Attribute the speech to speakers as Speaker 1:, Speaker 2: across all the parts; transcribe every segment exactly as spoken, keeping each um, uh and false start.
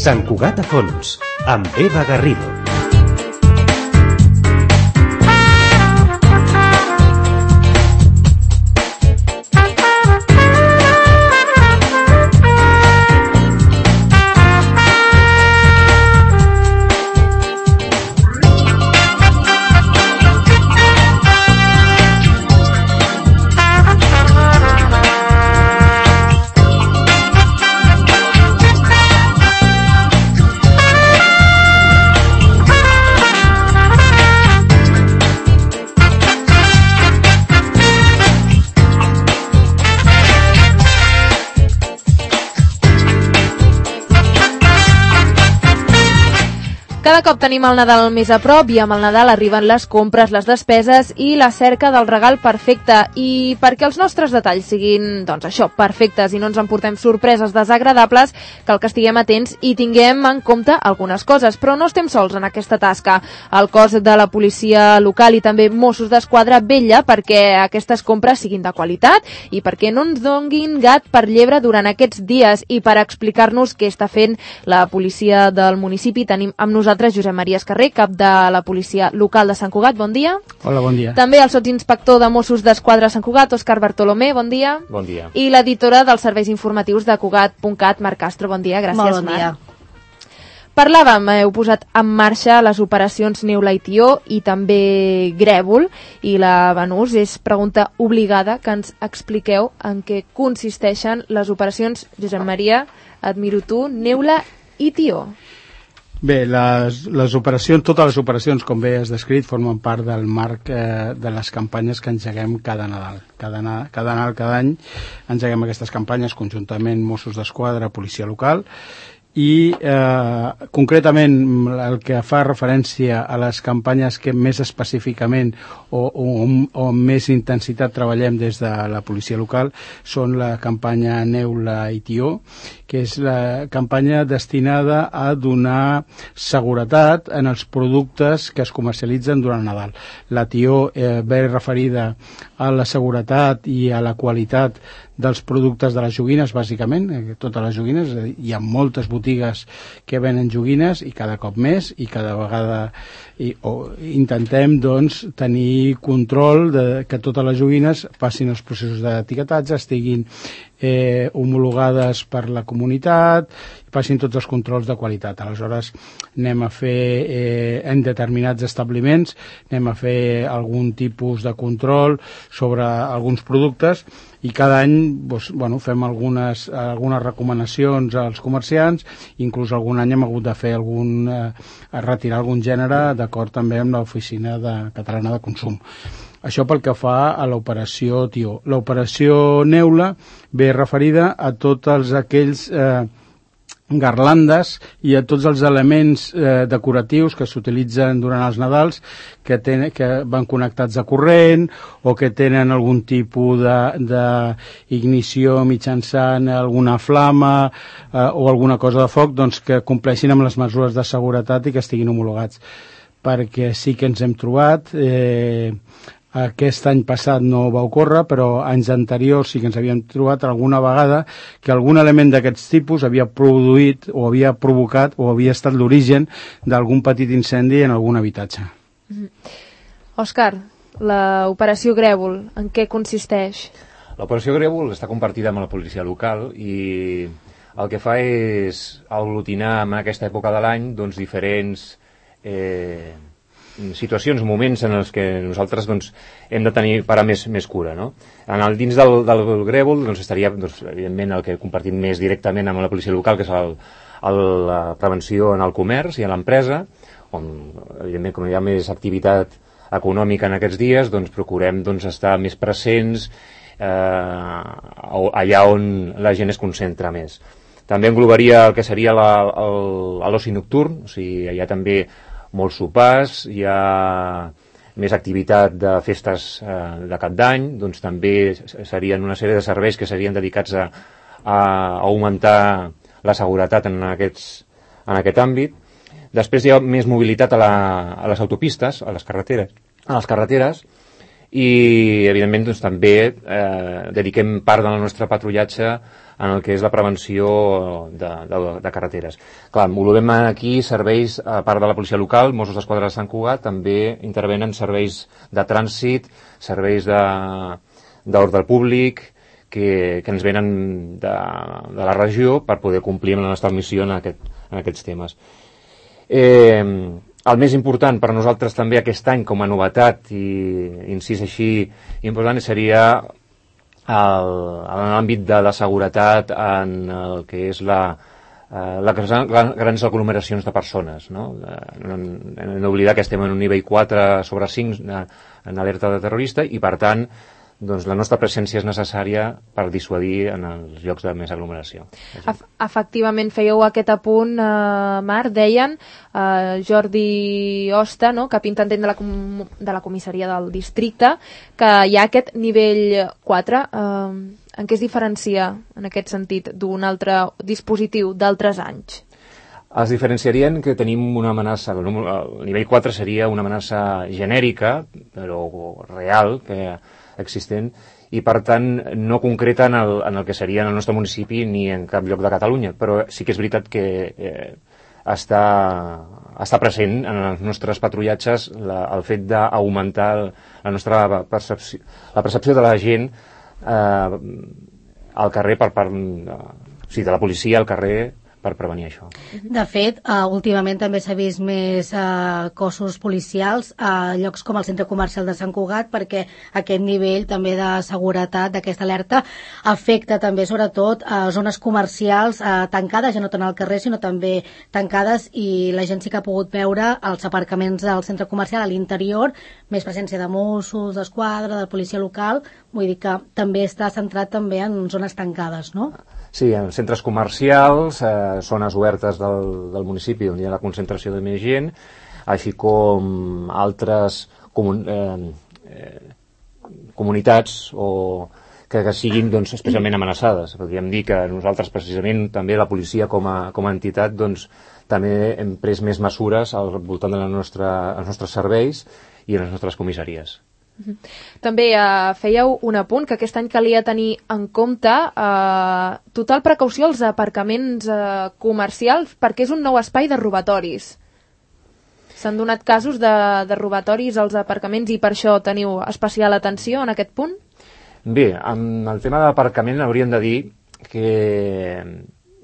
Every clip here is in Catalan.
Speaker 1: Sant Cugat a fons, amb Eva Garrido.
Speaker 2: Cada cop tenim el Nadal més a prop i amb el Nadal arriben les compres, les despeses i la cerca del regal perfecte. I perquè els nostres detalls siguin, doncs això, perfectes i no ens emportem sorpreses desagradables, cal que estiguem atents i tinguem en compte algunes coses. Però no estem sols en aquesta tasca. El cos de la policia local i també Mossos d'Esquadra vetlla perquè aquestes compres siguin de qualitat i perquè no ens donguin gat per llebre durant aquests dies. I per explicar-nos què està fent la policia del municipi tenim amb nosaltres Josep Maria Escarrer, cap de la policia local de Sant Cugat. Bon dia.
Speaker 3: Hola, bon dia.
Speaker 2: També el sotsinspector de Mossos d'Esquadra a Sant Cugat, Òscar Bartolomé. Bon dia.
Speaker 4: Bon dia.
Speaker 2: I l'editora dels serveis informatius de Cugat punt cat, Marc Castro. Bon dia. Gràcies,
Speaker 5: Molt bon
Speaker 2: Marc.
Speaker 5: dia.
Speaker 2: Parlàvem, heu posat en marxa les operacions Neula i Tió i també Grèvol, i la Banús és pregunta obligada que ens expliqueu en què consisteixen les operacions. Josep Maria, et miro tu, Neula i Tió.
Speaker 3: Bé, les, les operacions, totes les operacions, com bé has descrit, formen part del marc eh, de les campanyes que engeguem cada Nadal. Cada, cada Nadal, cada any, engeguem aquestes campanyes conjuntament Mossos d'Esquadra, policia local, i eh, concretament el que fa referència a les campanyes que més específicament o, o, o amb més intensitat treballem des de la policia local són la campanya Neula i Tió, que és la campanya destinada a donar seguretat en els productes que es comercialitzen durant Nadal. La Tió eh, ve referida a la seguretat i a la qualitat dels productes de les joguines, bàsicament, eh, totes les joguines. Hi ha moltes botigues que venen joguines i cada cop més, i cada vegada i, o, intentem doncs, tenir control de que totes les joguines passin els processos d'etiquetatge, estiguin eh, homologades per la comunitat, passin tots els controls de qualitat. Aleshores anem a fer eh, en determinats establiments, anem a fer algun tipus de control sobre alguns productes i cada any doncs, bueno, fem algunes, algunes recomanacions als comerciants, inclús algun any hem hagut de fer algun, eh, retirar algun gènere d'acord també amb l'Oficina de, Catalana de Consum. Això pel que fa a l'operació Tió. L'operació Neula ve referida a tots els aquells eh, garlandes i a tots els elements eh, decoratius que s'utilitzen durant els Nadals que, ten, que van connectats a corrent o que tenen algun tipus d'ignició mitjançant alguna flama eh, o alguna cosa de foc, doncs que compleixin amb les mesures de seguretat i que estiguin homologats. Perquè sí que ens hem trobat... Eh, Aquest any passat no va ocórrer, però anys anteriors sí que ens havíem trobat alguna vegada que algun element d'aquests tipus havia produït o havia provocat o havia estat l'origen d'algun petit incendi en algun habitatge.
Speaker 2: Mm-hmm. Òscar, l'operació Grèvol, en què consisteix?
Speaker 4: L'operació Grèvol està compartida amb la policia local i el que fa és aglutinar en aquesta època de l'any doncs, diferents... Eh, situacions, moments en els que nosaltres doncs, hem de tenir parar més, més cura, no? En el, dins del, del Grèvol doncs, estaria doncs, evidentment el que compartim més directament amb la policia local, que és el, el, la prevenció en el comerç i en l'empresa, on evidentment com hi ha més activitat econòmica en aquests dies, doncs procurem doncs, estar més presents eh, allà on la gent es concentra més. També englobaria el que seria l'oci nocturn, o sigui, hi ha també molts sopars, hi ha més activitat de festes eh, de cap d'any, doncs també serien una sèrie de serveis que serien dedicats a, a augmentar la seguretat en, aquests, en aquest àmbit. Després hi ha més mobilitat a, la, a les autopistes, a les carreteres, a les carreteres i evidentment doncs, també eh, dediquem part del nostre patrullatge en el que és la prevenció de, de, de carreteres. Clar, englobem aquí serveis, a part de la policia local, Mossos d'Esquadra de Sant Cugat, també intervenen serveis de trànsit, serveis d'ordre públic, que, que ens venen de, de la regió per poder complir amb la nostra missió en, aquest, en aquests temes. Eh, el més important per a nosaltres també aquest any com a novetat i incís així important seria el, en l'àmbit de la seguretat en el que és la, eh, la, la grans aglomeracions de persones, no? No, no oblidar que estem en un nivell quatre sobre cinc en alerta de terrorista i per tant doncs la nostra presència és necessària per dissuadir en els llocs de més aglomeració.
Speaker 2: Ef efectivament, fèieu aquest apunt, eh, Marc, deien, eh, Jordi Osta, no?, cap intendent de la, com de la comissaria del districte, que hi ha aquest nivell quatre. Eh, en què es diferencia, en aquest sentit, d'un altre dispositiu d'altres anys?
Speaker 4: Es diferenciarien que tenim una amenaça, el nivell quatre seria una amenaça genèrica, però real, que existent, i per tant no concreta en el, en el que seria en el nostre municipi ni en cap lloc de Catalunya, però sí que és veritat que eh, està, està present en els nostres patrullatges la, el fet d'augmentar la nostra percepció, la percepció de la gent eh, al carrer per part de, o sigui, de la policia al carrer per prevenir això.
Speaker 5: De fet, uh, últimament també s'ha vist més uh, cossos policials a uh, llocs com el centre comercial de Sant Cugat, perquè aquest nivell també de seguretat d'aquesta alerta afecta també sobretot a uh, zones comercials uh, tancades, ja no tant al carrer sinó també tancades, i la gent sí que ha pogut veure els aparcaments del centre comercial a l'interior, més presència de Mossos d'Esquadra, de policia local, vull dir que també està centrat també en zones tancades, no?
Speaker 4: Sí, en centres comercials, eh, zones obertes del, del municipi on hi ha la concentració de més gent, així com altres comun, eh, eh, comunitats o que, que siguin doncs, especialment amenaçades. Podríem dir que nosaltres, precisament, també la policia com a, com a entitat, doncs, també hem pres més mesures al voltant de la nostra, els nostres serveis i les nostres comissaries.
Speaker 2: També eh, fèieu un apunt que aquest any calia tenir en compte eh, total precaució als aparcaments eh, comercials perquè és un nou espai de robatoris. S'han donat casos de, de robatoris als aparcaments i per això teniu especial atenció en aquest punt?
Speaker 4: Bé, amb el tema de l'aparcament hauríem de dir que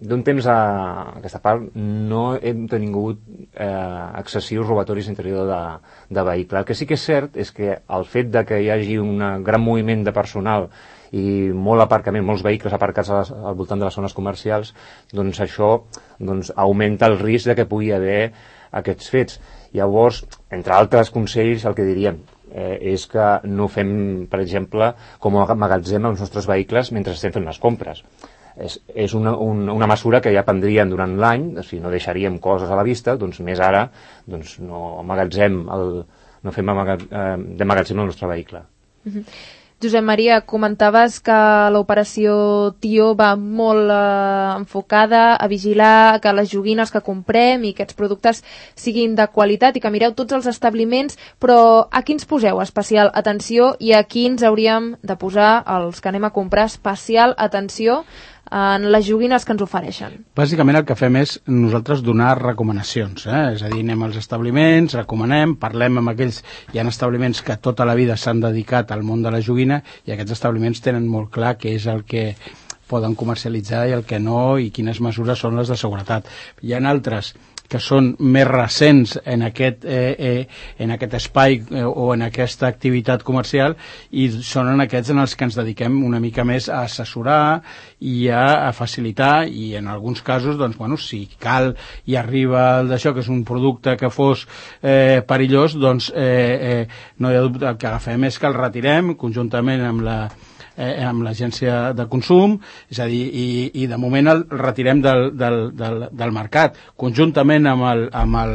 Speaker 4: d'un temps a aquesta part no hem tingut eh, excessius robatoris interior de, de vehicle. El que sí que és cert és que el fet de que hi hagi un gran moviment de personal i molt aparcament, molts vehicles aparcats a les, al voltant de les zones comercials, doncs això doncs, augmenta el risc de que pugui haver aquests fets. Llavors, entre altres consells, el que diríem eh, és que no fem, per exemple, com a magatzem els nostres vehicles mentre estem fent les compres. És, és una, un, una mesura que ja prendríem durant l'any, si no deixaríem coses a la vista, doncs més ara doncs no amagatzem el, no fem amagat, eh, de magatzem el nostre vehicle.
Speaker 2: Uh-huh. Josep Maria, comentaves que l'operació Tio va molt eh, enfocada a vigilar que les joguines que comprem i aquests productes siguin de qualitat i que mireu tots els establiments, però a quins poseu especial atenció i a quins hauríem de posar, els que anem a comprar, especial atenció en les joguines que ens ofereixen?
Speaker 3: Bàsicament el que fem és nosaltres donar recomanacions, eh? És a dir, anem als establiments, recomanem, parlem amb aquells, hi ha establiments que tota la vida s'han dedicat al món de la joguina i aquests establiments tenen molt clar què és el que poden comercialitzar i el que no i quines mesures són les de seguretat. Hi ha altres que són més recents en aquest, eh, eh, en aquest espai eh, o en aquesta activitat comercial i són en aquests en els que ens dediquem una mica més a assessorar i a, a facilitar i en alguns casos, doncs, bueno, si cal i arriba el d'això, que és un producte que fos eh, perillós, doncs eh, eh, no hi ha dubte, el que agafem és que el retirem conjuntament amb la Eh, amb l'agència de consum, és a dir, i, i de moment el retirem del, del, del, del mercat, conjuntament amb el, amb el,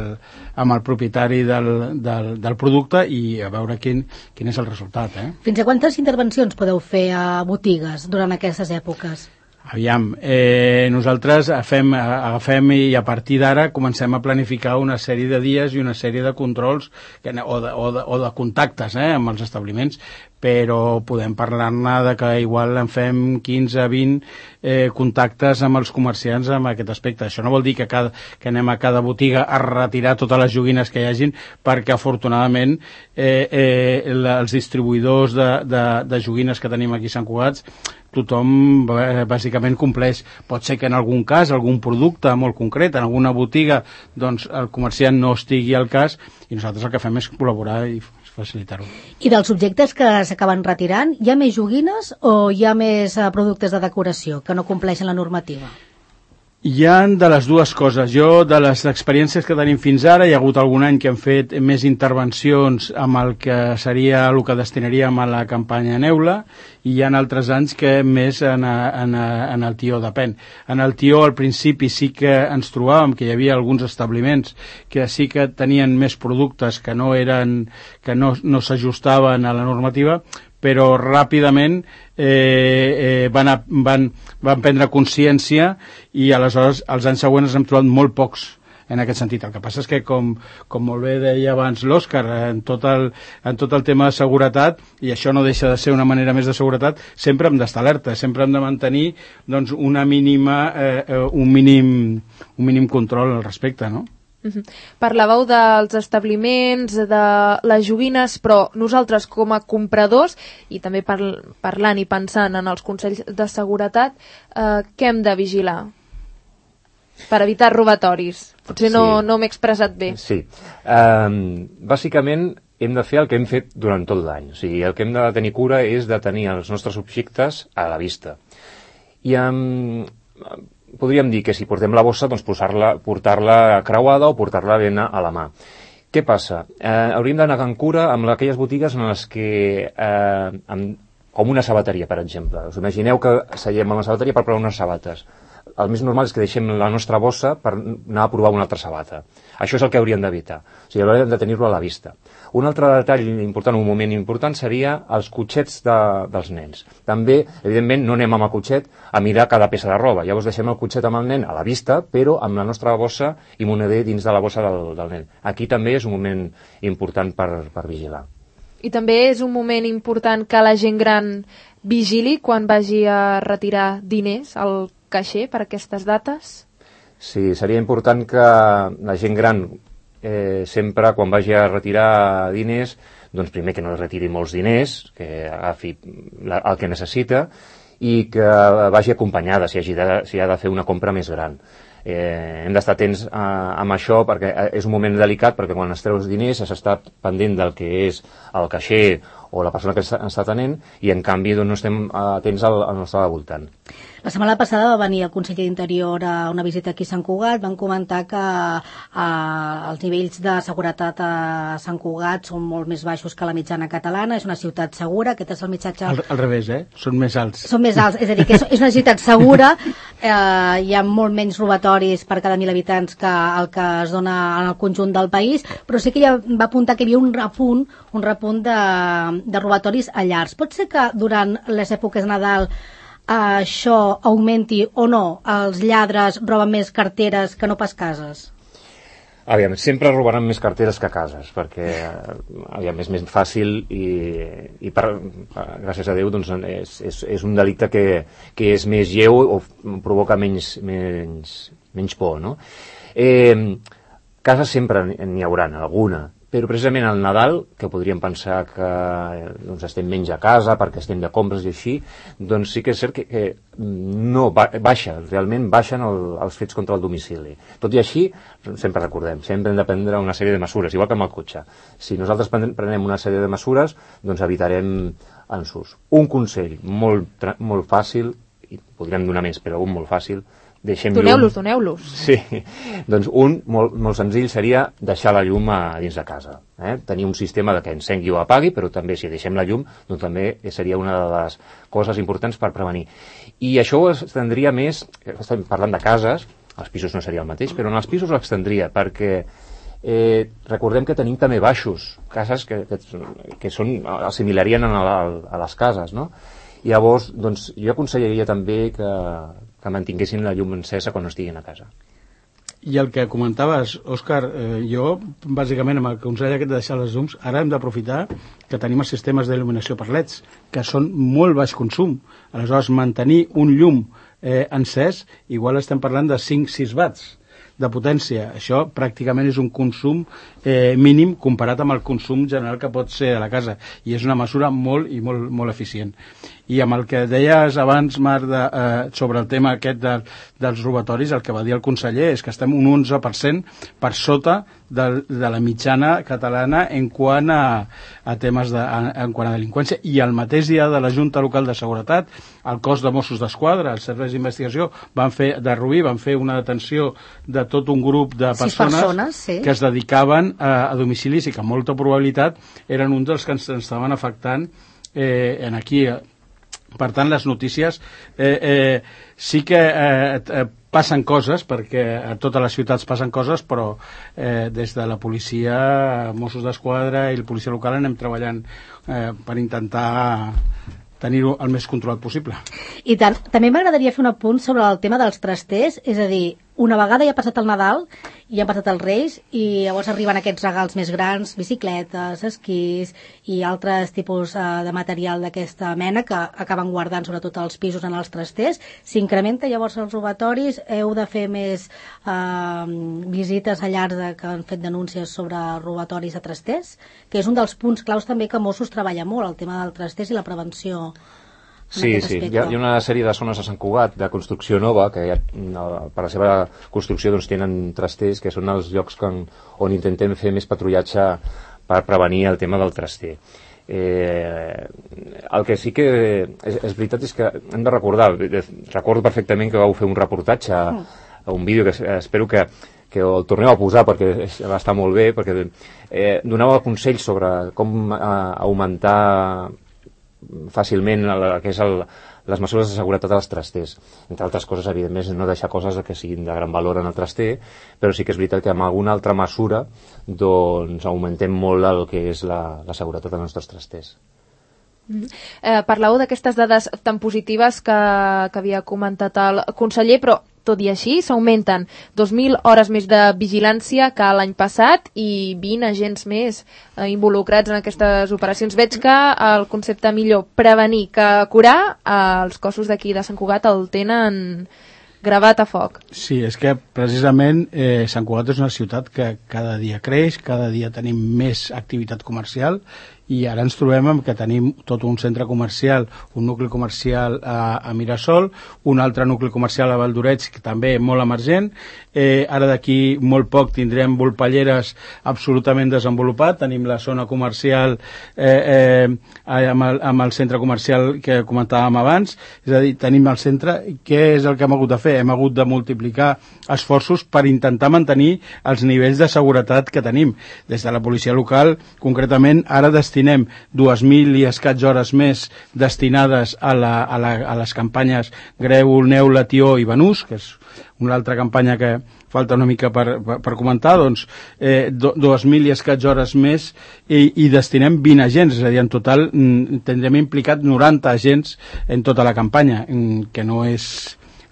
Speaker 3: amb el propietari del, del, del producte i a veure quin, quin és el resultat. Eh?
Speaker 5: Fins a quantes intervencions podeu fer a botigues durant aquestes èpoques?
Speaker 3: Aviam, eh, nosaltres agafem, agafem i a partir d'ara comencem a planificar una sèrie de dies i una sèrie de controls que, o, de, o, de, o de contactes eh, amb els establiments, però podem parlar-ne de que igual en fem quinze a vint eh, contactes amb els comerciants en aquest aspecte. Això no vol dir que, cada, que anem a cada botiga a retirar totes les joguines que hi hagin, perquè afortunadament eh, eh, la, els distribuïdors de, de, de joguines que tenim aquí a Sant Cugat, tothom bàsicament compleix. Pot ser que en algun cas, algun producte molt concret, en alguna botiga, doncs el comerciant no estigui al cas, i nosaltres el que fem és col·laborar i facilitar-ho.
Speaker 5: I dels objectes que s'acaben retirant, hi ha més joguines o hi ha més eh, productes de decoració que no compleixen la normativa?
Speaker 3: Hi ha de les dues coses. Jo, de les experiències que tenim fins ara, hi ha hagut algun any que hem fet més intervencions amb el que seria el que destinaríem a la campanya Neula, i hi ha altres anys que més en, a, en, a, en el Tió, depèn. En el Tió al principi sí que ens trobàvem que hi havia alguns establiments que sí que tenien més productes que no eren, que no, no s'ajustaven a la normativa, però ràpidament eh, eh, van, a, van, van prendre consciència i aleshores els anys següents hem trobat molt pocs en aquest sentit. El que passa és que, com, com molt bé deia abans l'Òscar, en, tot el, en tot el tema de seguretat, i això no deixa de ser una manera més de seguretat, sempre hem d'estar alerta, sempre hem de mantenir doncs, una mínima, eh, un, mínim, un mínim control al respecte, no?
Speaker 2: Uh-huh. Parlàveu dels establiments, de les joguines, però nosaltres com a compradors, i també par parlant i pensant en els consells de seguretat, eh, què hem de vigilar per evitar robatoris? Potser no, sí. no m'he expressat bé.
Speaker 4: Sí, um, bàsicament hem de fer el que hem fet durant tot l'any. O sigui, el que hem de tenir cura és de tenir els nostres objectes a la vista. I amb... Um, podríem dir que si portem la bossa, doncs portar-la portar-la creuada o portar-la ben a la mà. Què passa? Eh, hauríem d'anar amb cura amb aquelles botigues en les que, eh, amb, com una sabateria, per exemple. Us imagineu que seiem a una sabateria per provar unes sabates. El més normal és que deixem la nostra bossa per anar a provar una altra sabata. Això és el que hauríem d'evitar. O sigui, hauríem de tenir-lo a la vista. Un altre detall important, un moment important, seria els cotxets de, dels nens. També, evidentment, no anem amb el cotxet a mirar cada peça de roba. Llavors deixem el cotxet amb el nen a la vista, però amb la nostra bossa i moneder dins de la bossa del, del nen. Aquí també és un moment important per, per vigilar.
Speaker 2: I també és un moment important que la gent gran vigili quan vagi a retirar diners al caixer per aquestes dates?
Speaker 4: Sí, seria important que la gent gran eh, sempre quan vagi a retirar diners, doncs primer que no retiri molts diners, que agafi la, el que necessita i que vagi acompanyada si, hagi de, si ha de fer una compra més gran. Eh, hem d'estar atents a, amb això perquè és un moment delicat, perquè quan es treu els diners s'està pendent del que és el caixer o la persona que està atenent i en canvi doncs, no estem atents al, al nostre voltant.
Speaker 5: La setmana passada va venir el conseller d'Interior a una visita aquí a Sant Cugat. Van comentar que eh, els nivells de seguretat a Sant Cugat són molt més baixos que la mitjana catalana. És una ciutat segura. Aquest és el missatge...
Speaker 3: Al, al revés, eh? Són més alts.
Speaker 5: Són més alts, és a dir, que és, és una ciutat segura. Eh, hi ha molt menys robatoris per cada mil habitants que el que es dona en el conjunt del país, però sí que ja va apuntar que hi havia un repunt, un repunt de, de robatoris a llars. Pot ser que durant les èpoques de Nadal això augmenti o no? Els lladres roben més carteres que no pas cases?
Speaker 4: Aviam, sempre robaran més carteres que cases, perquè aviam, és més fàcil i, i per, gràcies a Déu doncs, és, és, és un delicte que, que és més lleu o provoca menys, menys, menys por, no? Eh, cases sempre n'hi haurà, alguna, però precisament al Nadal, que podríem pensar que doncs, estem menys a casa perquè estem de compres i així, doncs sí que és cert que, que no baixa, realment baixen el, els fets contra el domicili. Tot i així, sempre recordem, sempre hem de prendre una sèrie de mesures, igual que amb el cotxe. Si nosaltres prenem una sèrie de mesures, doncs evitarem ensurts. Un consell molt, molt fàcil, i podríem donar més, però un molt fàcil,
Speaker 2: doneu-los, doneu-los.
Speaker 4: Sí, doncs un molt, molt senzill seria deixar la llum a dins de casa. Eh? Tenir un sistema de que encengui o apagui, però també si deixem la llum, doncs també seria una de les coses importants per prevenir. I això ho estendria més, estem parlant de cases, als pisos no seria el mateix, però en els pisos ho extendria, perquè eh, recordem que tenim també baixos, cases que, que, que són, assimilarien a, la, a les cases, no? I llavors, doncs, jo aconsellaria també que, que mantinguessin la llum encesa quan no estiguin a casa.
Speaker 3: I el que comentaves, Òscar, eh, jo, bàsicament, amb el consell aquest de deixar les llums, ara hem d'aprofitar que tenim els sistemes d'il·luminació per leds, que són molt baix consum. Aleshores, mantenir un llum eh, encès, igual estem parlant de cinc sis watts de potència. Això pràcticament és un consum eh, mínim comparat amb el consum general que pot ser a la casa, i és una mesura molt i molt, molt eficient. I amb el que deies abans, Marc, de, eh, sobre el tema aquest de, dels robatoris, el que va dir el conseller és que estem un onze per cent per sota de, de la mitjana catalana en quant a, a temes de, en, en quant a delinqüència. I el mateix dia de la Junta Local de Seguretat, el cos de Mossos d'Esquadra, els serveis d'investigació, van fer, de Rubí, van fer una detenció de tot un grup de persones,
Speaker 5: persones sí.
Speaker 3: que es dedicaven a, a domicilis i que amb molta probabilitat eren un dels que ens estaven afectant eh, en aquí. Per tant, les notícies eh, eh, sí que eh, eh, passen coses, perquè a totes les ciutats passen coses, però eh, des de la policia, Mossos d'Esquadra i la policia local anem treballant eh, per intentar tenir-ho el més controlat possible.
Speaker 5: I tant, també m'agradaria fer un apunt sobre el tema dels trasters, és a dir, una vegada ja ha passat el Nadal i han passat els Reis i llavors arriben aquests regals més grans, bicicletes, esquís i altres tipus eh, de material d'aquesta mena que acaben guardant sobretot els pisos en els trasters. S'incrementa llavors els robatoris, heu de fer més eh, visites a llars de, que han fet denúncies sobre robatoris a trasters, que és un dels punts claus també que Mossos treballa molt, el tema del trasters i la prevenció.
Speaker 4: Sí, sí, hi ha, hi ha una sèrie de zones a Sant Cugat de construcció nova que ja, per la seva construcció doncs, tenen trasters, que són els llocs que, on intentem fer més patrullatge per prevenir el tema del traster. Eh, el que sí que és, és veritat és que hem de recordar, recordo perfectament que vau fer un reportatge, un vídeo que espero que que el torneu a posar perquè va estar molt bé, perquè eh, donava consells sobre com eh, augmentar fàcilment el, el que és el, les mesures de seguretat als trasters. Entre altres coses, evidentment, no deixar coses que siguin de gran valor en el traster, però sí que és veritat que amb alguna altra mesura doncs augmentem molt el que és la, la seguretat dels nostres trasters.
Speaker 2: Mm. Eh, parlàveu d'aquestes dades tan positives que, que havia comentat el conseller, però tot i així s'augmenten dos mil hores més de vigilància que l'any passat i vint agents més eh, involucrats en aquestes operacions. Veig que el concepte millor prevenir que curar, eh, els cossos d'aquí de Sant Cugat el tenen gravat a foc.
Speaker 3: Sí, és que precisament eh, Sant Cugat és una ciutat que cada dia creix, cada dia tenim més activitat comercial i ara ens trobem amb que tenim tot un centre comercial, un nucli comercial a, a Mirasol, un altre nucli comercial a Valdoreig, que també és molt emergent. Eh, ara d'aquí molt poc tindrem Volpelleres absolutament desenvolupat, tenim la zona comercial eh, eh, amb, el, amb el centre comercial que comentàvem abans, és a dir, tenim el centre. Què és el que hem hagut de fer? Hem hagut de multiplicar esforços per intentar mantenir els nivells de seguretat que tenim. Des de la policia local, concretament, ara destinem dues mil i escaig hores més destinades a, la, a, la, a les campanyes Grèvol, Neula, Tió i Banús, que és una altra campanya que falta una mica per, per, per comentar, doncs eh, dues mil i escaig hores més i, i destinem vint agents, és a dir, en total mm, tindrem implicat noranta agents en tota la campanya, que no és,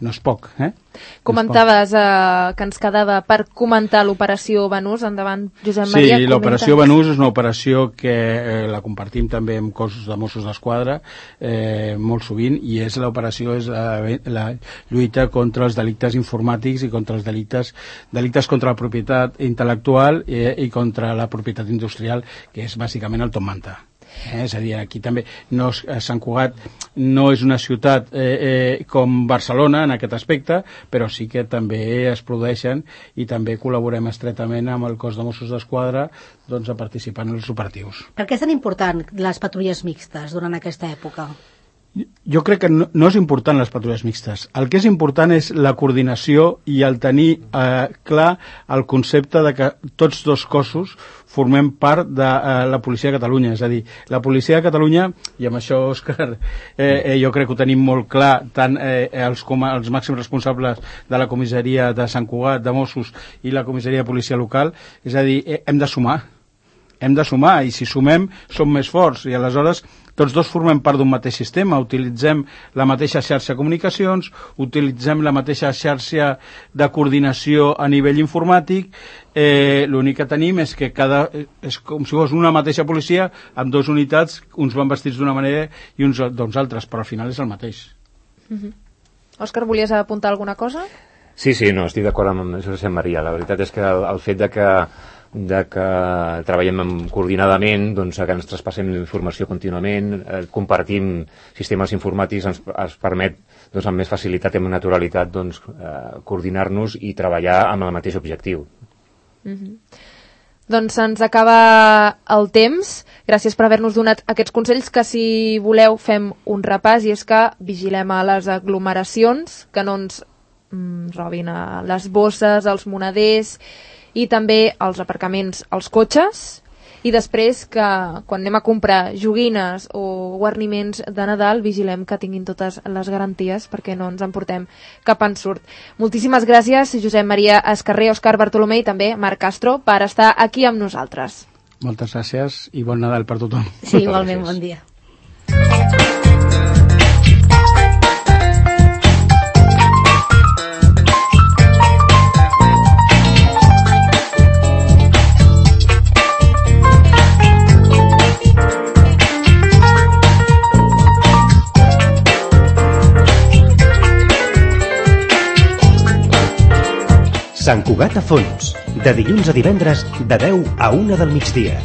Speaker 3: no és poc, eh?
Speaker 2: Comentaves eh, que ens quedava per comentar l'operació Banús. Endavant, Josep Maria.
Speaker 3: Sí, l'operació Banús és una operació que eh, la compartim també amb cossos de Mossos d'Esquadra eh, molt sovint, i és l'operació és la, la lluita contra els delictes informàtics i contra els delictes, delictes contra la propietat intel·lectual eh, i contra la propietat industrial, que és bàsicament el top manta. Eh, és a dir, aquí també no, Sant Cugat no és una ciutat eh, eh, com Barcelona en aquest aspecte, però sí que també es produeixen i també col·laborem estretament amb el cos de Mossos d'Esquadra doncs, a participar en els operatius.
Speaker 5: Per què és tan important les patrulles mixtes durant aquesta època?
Speaker 3: Jo crec que no, no és important les patrulles mixtes. El que és important és la coordinació i el tenir eh, clar el concepte de que tots dos cossos formem part de eh, la policia de Catalunya. És a dir, la policia de Catalunya, i amb això, Òscar, eh, eh, jo crec que ho tenim molt clar, tant eh, els, com els màxims responsables de la comissaria de Sant Cugat, de Mossos, i la comissaria de policia local, és a dir, eh, hem de sumar. hem de sumar, i si sumem som més forts, i aleshores tots dos formem part d'un mateix sistema, utilitzem la mateixa xarxa de comunicacions, utilitzem la mateixa xarxa de coordinació a nivell informàtic, eh, l'únic que tenim és que cada, és com si fos una mateixa policia amb dues unitats, uns van vestits d'una manera i uns doncs altres, però al final és el mateix.
Speaker 2: Mm-hmm. Òscar, volies apuntar alguna cosa?
Speaker 4: Sí, sí, no, estic d'acord amb això que sent Maria. La veritat és que el, el fet de que de que treballem coordinadament, doncs, que ens traspassem informació contínuament, eh, compartim sistemes informàtics, ens, ens permet doncs, amb més facilitat i amb naturalitat doncs, eh, coordinar-nos i treballar amb el mateix objectiu.
Speaker 2: Mm-hmm. Doncs se'ns acaba el temps. Gràcies per haver-nos donat aquests consells, que si voleu fem un repàs, i és que vigilem a les aglomeracions, que no ens mm, robin a les bosses, als moneders, i també als aparcaments, als cotxes, i després que quan anem a comprar joguines o guarniments de Nadal vigilem que tinguin totes les garanties perquè no ens emportem cap ensurt. Moltíssimes gràcies, Josep Maria Escarrer, Òscar Bartolomé i també Marc Castro, per estar aquí amb nosaltres.
Speaker 3: Moltes gràcies i bon Nadal per tothom.
Speaker 5: Sí, igualment, bon dia.
Speaker 1: Sant Cugat a Fons, de dilluns a divendres, de deu a una del migdia.